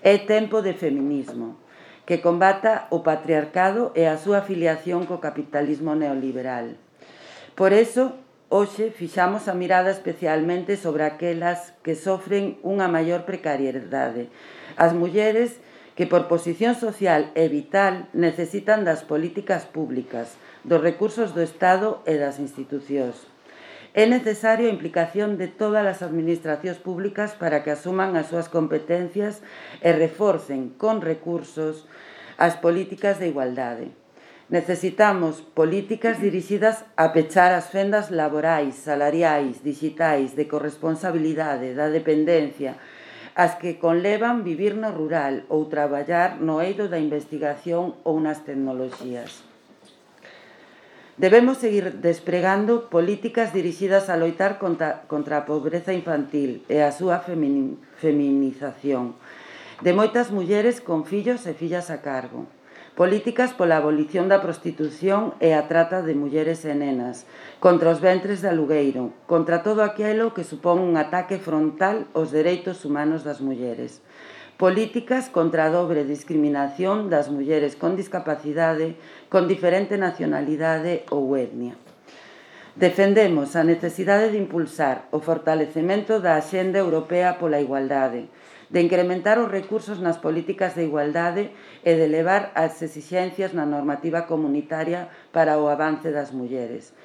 É tempo de feminismo, que combata o patriarcado e a súa afiliación co capitalismo neoliberal. Por iso, hoxe fixamos a mirada especialmente sobre aquelas que sofren unha maior precariedade, as mulleres que por posición social e vital necesitan das políticas públicas, dos recursos do Estado e das institucións. É necesaria a implicación de todas as administracións públicas para que asuman as súas competencias e reforcen con recursos as políticas de igualdade. Necesitamos políticas dirixidas a pechar as fendas laborais, salariais, digitais, de corresponsabilidade, da dependencia, as que conlevan vivir no rural ou traballar no eido da investigación ou nas tecnoloxías. Debemos seguir despregando políticas dirixidas a loitar contra a pobreza infantil e a súa feminización de moitas mulleres con fillos e fillas a cargo. Políticas pola abolición da prostitución e a trata de mulleres e nenas, contra os ventres de alugueiro, contra todo aquilo que supón un ataque frontal aos dereitos humanos das mulleres. Políticas contra a dobre discriminación das mulleres con discapacidade, con diferente nacionalidade ou etnia. Defendemos a necesidade de impulsar o fortalecemento da Axenda Europea pola Igualdade, de incrementar os recursos nas políticas de igualdade e de elevar as exixencias na normativa comunitaria para o avance das mulleres.